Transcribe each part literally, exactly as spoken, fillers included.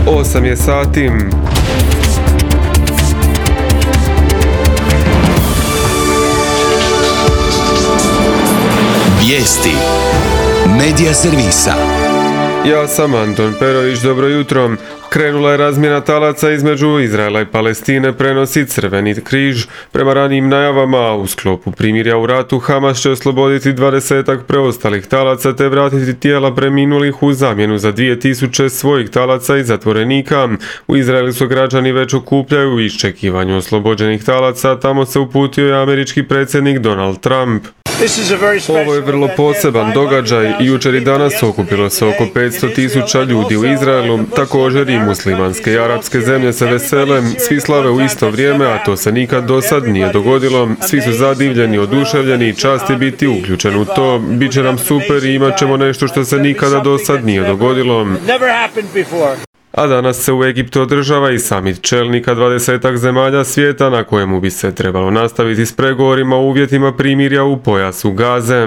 osam je sati. Vijesti Medija servisa. Ja sam Anton Perović, dobro jutro. Krenula je razmjena talaca između Izraela i Palestine, prenosi Crveni križ. Prema ranijim najavama, u sklopu primirja u ratu, Hamas će osloboditi dvadesetak preostalih talaca te vratiti tijela preminulih u zamjenu za dvije tisuće svojih talaca i zatvorenika. U Izraelu su građani već okupljaju u iščekivanju oslobođenih talaca, tamo se uputio i američki predsjednik Donald Trump. Ovo je vrlo poseban događaj i jučer i danas okupilo se oko petsto tisuća ljudi u Izraelu, također i muslimanske i arapske zemlje se vesele, svi slave u isto vrijeme, a to se nikad do sad nije dogodilo, svi su zadivljeni, oduševljeni i čast je biti uključen u to, bit će nam super i imat ćemo nešto što se nikada do sad nije dogodilo. A danas se u Egiptu održava i samit čelnika dvadesetak zemalja svijeta na kojemu bi se trebalo nastaviti s pregovorima o uvjetima primirja u pojasu Gaze.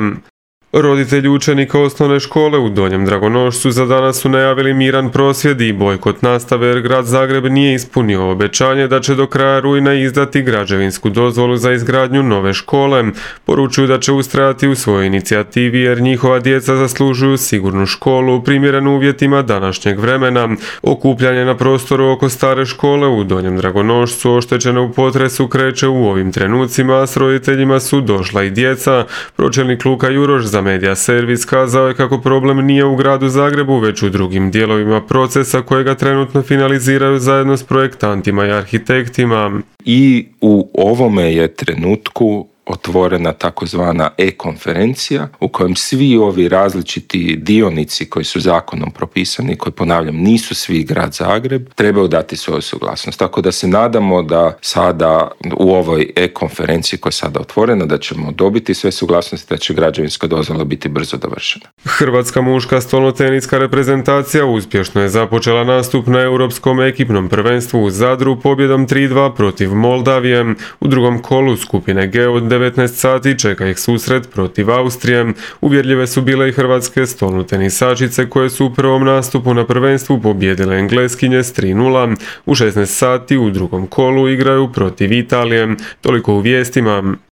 Roditelji učenika osnovne škole u Donjem Dragonošcu za danas su najavili miran prosvjed i bojkot nastave jer grad Zagreb nije ispunio obećanje da će do kraja rujna izdati građevinsku dozvolu za izgradnju nove škole. Poručuju da će ustrajati u svojoj inicijativi jer njihova djeca zaslužuju sigurnu školu primjerenu uvjetima današnjeg vremena. Okupljanje na prostoru oko stare škole u Donjem Dragonošcu oštećene u potresu kreće u ovim trenucima, a s roditeljima su došla i djeca. Pročelnik Luka Juroš za Medija servis kazao je kako problem nije u gradu Zagrebu, već u drugim dijelovima procesa kojega trenutno finaliziraju zajedno s projektantima i arhitektima. I u ovome je trenutku otvorena takozvana e-konferencija u kojem svi ovi različiti dionici koji su zakonom propisani, koji ponavljam nisu svi grad Zagreb, trebaju dati svoju suglasnost. Tako da se nadamo da sada u ovoj e-konferenciji koja je sada otvorena da ćemo dobiti sve suglasnosti, da će građevinska dozvola biti brzo dovršena. Hrvatska muška stolnoteniska reprezentacija uspješno je započela nastup na europskom ekipnom prvenstvu u Zadru pobjedom tri dva protiv Moldavije. U drugom kolu skupine G od devetnaest sati čeka ih susret protiv Austrije. Uvjerljive su bile i hrvatske stolnotenisačice koje su u prvom nastupu na prvenstvu pobijedile Engleskinje s tri nula. U šesnaest sati u drugom kolu igraju protiv Italije. Toliko u vijestima.